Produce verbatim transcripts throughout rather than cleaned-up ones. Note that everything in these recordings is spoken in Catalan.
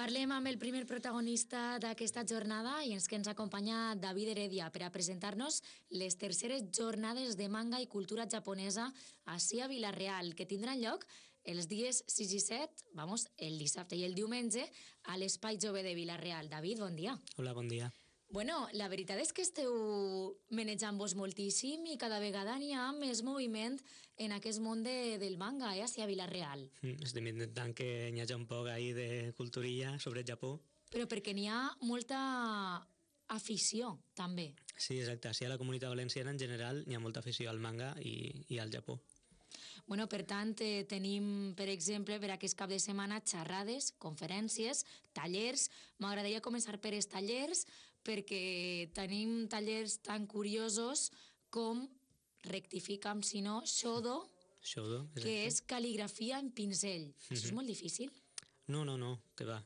Parlem amb el primer protagonista d'aquesta jornada i ens que ens acompanya David Heredia per a presentar-nos les terceres jornades de manga i cultura japonesa ací a Vila-real, que tindran lloc els dies sis i set, vamos, el dissabte i el diumenge, a l'Espai Jove de Vila-real. David, bon dia. Hola, bon dia. Bueno, la veritat és que esteu manejant-vos moltíssim i cada vegada n'hi ha més moviment en aquest món de, del manga, eh, ací a Vila-real. Mm, estem intentant que hi hagi un poc ahí de culturilla sobre el Japó. Però perquè n'hi ha molta afició, també. Sí, exacte. Sí, a la comunitat valenciana en general hi ha molta afició al manga i, i al Japó. Bueno, per tant, eh, tenim, per exemple, per aquest cap de setmana, xerrades, conferències, tallers. M'agradaria començar per els tallers, perquè tenim tallers tan curiosos com, rectifica'm si no, Shodo, Shodo, exacte. que és cal·ligrafia en pinzell. Mm-hmm. Això és molt difícil? No, no, no, que va.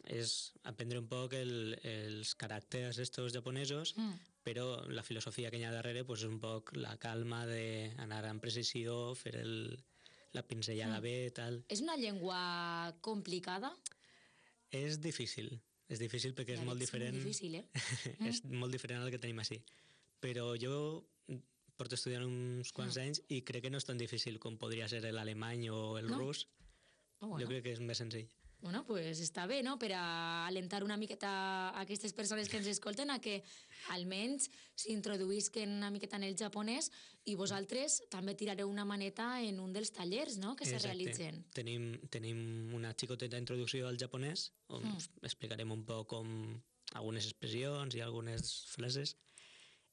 És aprendre un poc el, els caràcters estos japonesos, mm. però la filosofia que hi ha darrere pues, és un poc la calma d'anar amb precisió, fer el, la pinzellada mm. bé, tal. És una llengua complicada? És difícil, és difícil perquè ja és molt diferent. És molt difícil, eh? és mm. molt diferent al que tenim així. Però jo porto estudiant uns quants mm. anys i crec que no és tan difícil com podria ser l'alemany o el no? rus. Oh, bueno. Jo crec que és més senzill. Bueno, pues està bé, no?, per a alentar una miqueta a aquestes persones que ens escolten a que almenys s'introduïsquen una miqueta en el japonès i vosaltres també tirareu una maneta en un dels tallers, no?, que Exacte. se realitzen. Tenim, tenim una xicoteta introducció al japonès on mm. explicarem un poc com algunes expressions i algunes frases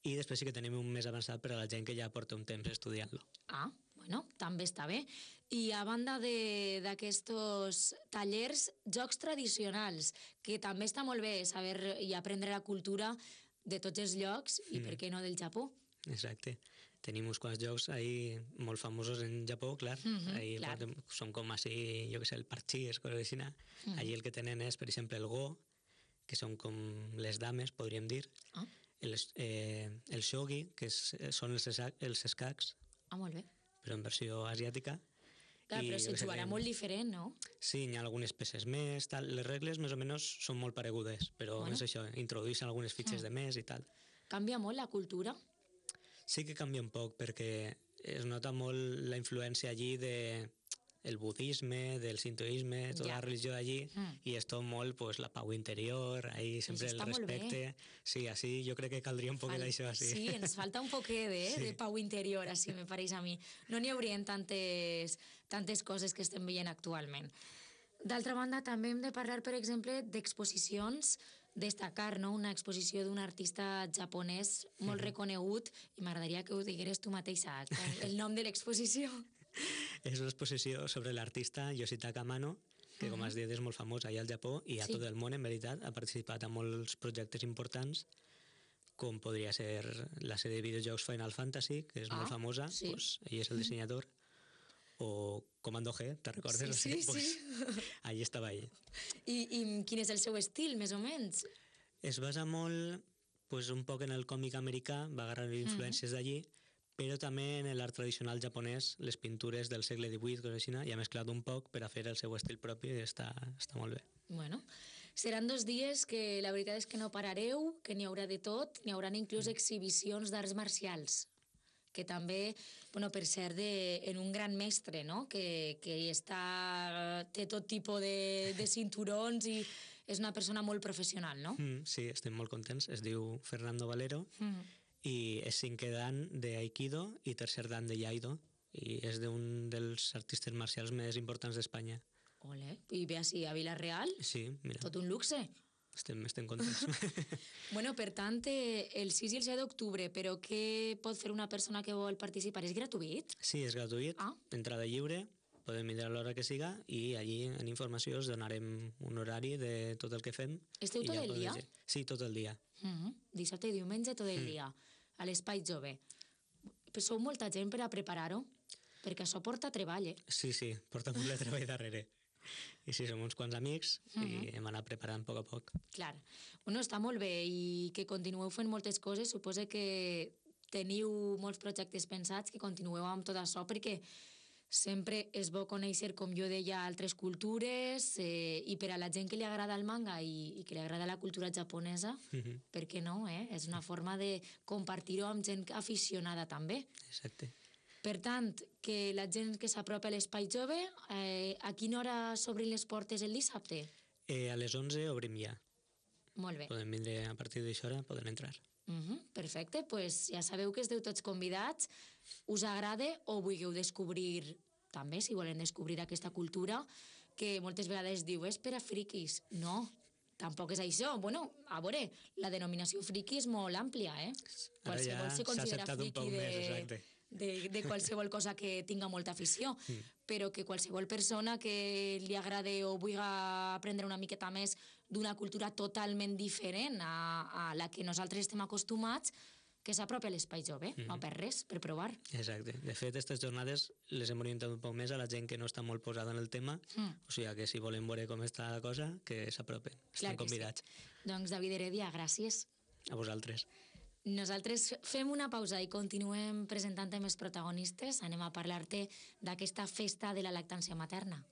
i després sí que tenim un més avançat per a la gent que ja porta un temps estudiant-lo. Ah, bueno, també està bé. I a banda d'aquests tallers, jocs tradicionals, que també està molt bé saber i aprendre la cultura de tots els llocs i, mm. per què no, del Japó. Exacte. Tenim uns quants jocs ahí molt famosos en Japó, clar. Mm-hmm, ahí clar. Són com així, jo què sé, el parchís, coses així. Mm. Allí el que tenen és, per exemple, el go, que són com les dames, podríem dir. Ah. El, eh, el shogi, que és, són els, els escacs. Ah, molt bé. Però en versió asiàtica. Clar, I, però se jugarà molt diferent, no? Sí, hi ha algunes peces més, tal. Les regles més o menys són molt paregudes, però bueno. És això, introdueixen algunes fitxes mm. de més i tal. Canvia molt la cultura? Sí que canvia un poc, perquè es nota molt la influència allí de el budisme, del sintoísme, tota ja. La religió d'allí, mm. i és tot molt pues, la pau interior, ahí sempre el respecte. Sí, així jo crec que caldria un poquet Fal... d'això. Així. Sí, ens falta un poquet de, sí. de pau interior, així me pareix a mi. No n'hi haurien tantes, tantes coses que estem veient actualment. D'altra banda, també hem de parlar, per exemple, d'exposicions, destacar, no?, una exposició d'un artista japonès molt mm-hmm. reconegut, i m'agradaria que ho digueres tu mateixa, el nom de l'exposició. És una exposició sobre l'artista Yoshitaka Amano, que, com has dit, és molt famós allà al Japó i a sí. tot el món, en veritat. Ha participat en molts projectes importants, com podria ser la sèrie de videojocs Final Fantasy, que és ah, molt famosa, sí. pues, ell és el dissenyador, o Comando G, te recordes? Sí, sí, pues, sí. Allí estava ell. I, I quin és el seu estil, més o menys? Es basa molt, pues, un poc en el còmic americà, va agarrar influències mm. d'allí, però també en l'art tradicional japonès, les pintures del segle divuit, i ha mesclat un poc per a fer el seu estil propi i està, està molt bé. Bueno, seran dos dies que la veritat és que no parareu, que n'hi haurà de tot, n'hi haurà inclús mm. exhibicions d'arts marcials, que també, bueno, per cert, de, en un gran mestre, no?, que, que està, té tot tipus de, de cinturons i és una persona molt professional, no? Mm, sí, estem molt contents. Es diu Fernando Valero, mm. i és cinquè dan d'Aikido i tercer dan de Iaido, i és d'un dels artistes marcials més importants d'Espanya. Ole, i ve així a Vila-real? Sí, mira. Tot un luxe. Estem, estem contents. Bueno, per tant, el sis i el set d'octubre, però què pot fer una persona que vol participar? És gratuït? Sí, és gratuït, ah. entrada lliure, podem vindre a l'hora que siga i allí en informació us donarem un horari de tot el que fem. Esteu tot ja el dia? Dir. Sí, tot el dia. Mm-hmm. Dissabte i diumenge tot el mm. dia, a l'Espai Jove. Però sou molta gent per a preparar-ho? Perquè això porta treball, eh? Sí, sí, porta molt de treball darrere. I sí, som uns quants amics mm-hmm. i hem anat preparant a poc a poc. Clar. Bueno, està molt bé i que continueu fent moltes coses. Suposo que teniu molts projectes pensats, que continueu amb tot això, perquè Sempre és bo conèixer, com jo deia, altres cultures, eh, i per a la gent que li agrada el manga i, i que li agrada la cultura japonesa, Mhm. per què no, eh? És una forma de compartir-ho amb gent aficionada també. Exacte. Per tant, que la gent que s'apropa a l'Espai Jove, eh, a quina hora s'obrin les portes el dissabte? Eh, a les onze obrim ja. Molt bé. Poden vindre a partir d'això hora, poden entrar. Uh -huh, perfecte, pues ja sabeu que esteu tots convidats, us agrada o vulgueu descobrir també, si volen descobrir aquesta cultura, que moltes vegades diu, és per a friquis. No, tampoc és això. Bueno, a veure, la denominació friqui és molt àmplia, eh? Ara ja Qualsevol se s'ha considera acceptat un friqui poc de, més, exacte. de, de qualsevol cosa que tinga molta afició, Mm. però que qualsevol persona que li agrade o vulgui aprendre una miqueta més d'una cultura totalment diferent a, a la que nosaltres estem acostumats, que s'apropi a l'Espai Jove, Mhm. no per res, per provar. Exacte. De fet, aquestes jornades les hem orientat un poc més a la gent que no està molt posada en el tema, Mm. o sigui que si volen veure com està la cosa, que s'apropen. Clar Estan que sí. convidats. Doncs David Heredia, gràcies. A vosaltres. Nosaltres fem una pausa i continuem presentant més protagonistes. Anem a parlar-te d'aquesta festa de la lactància materna.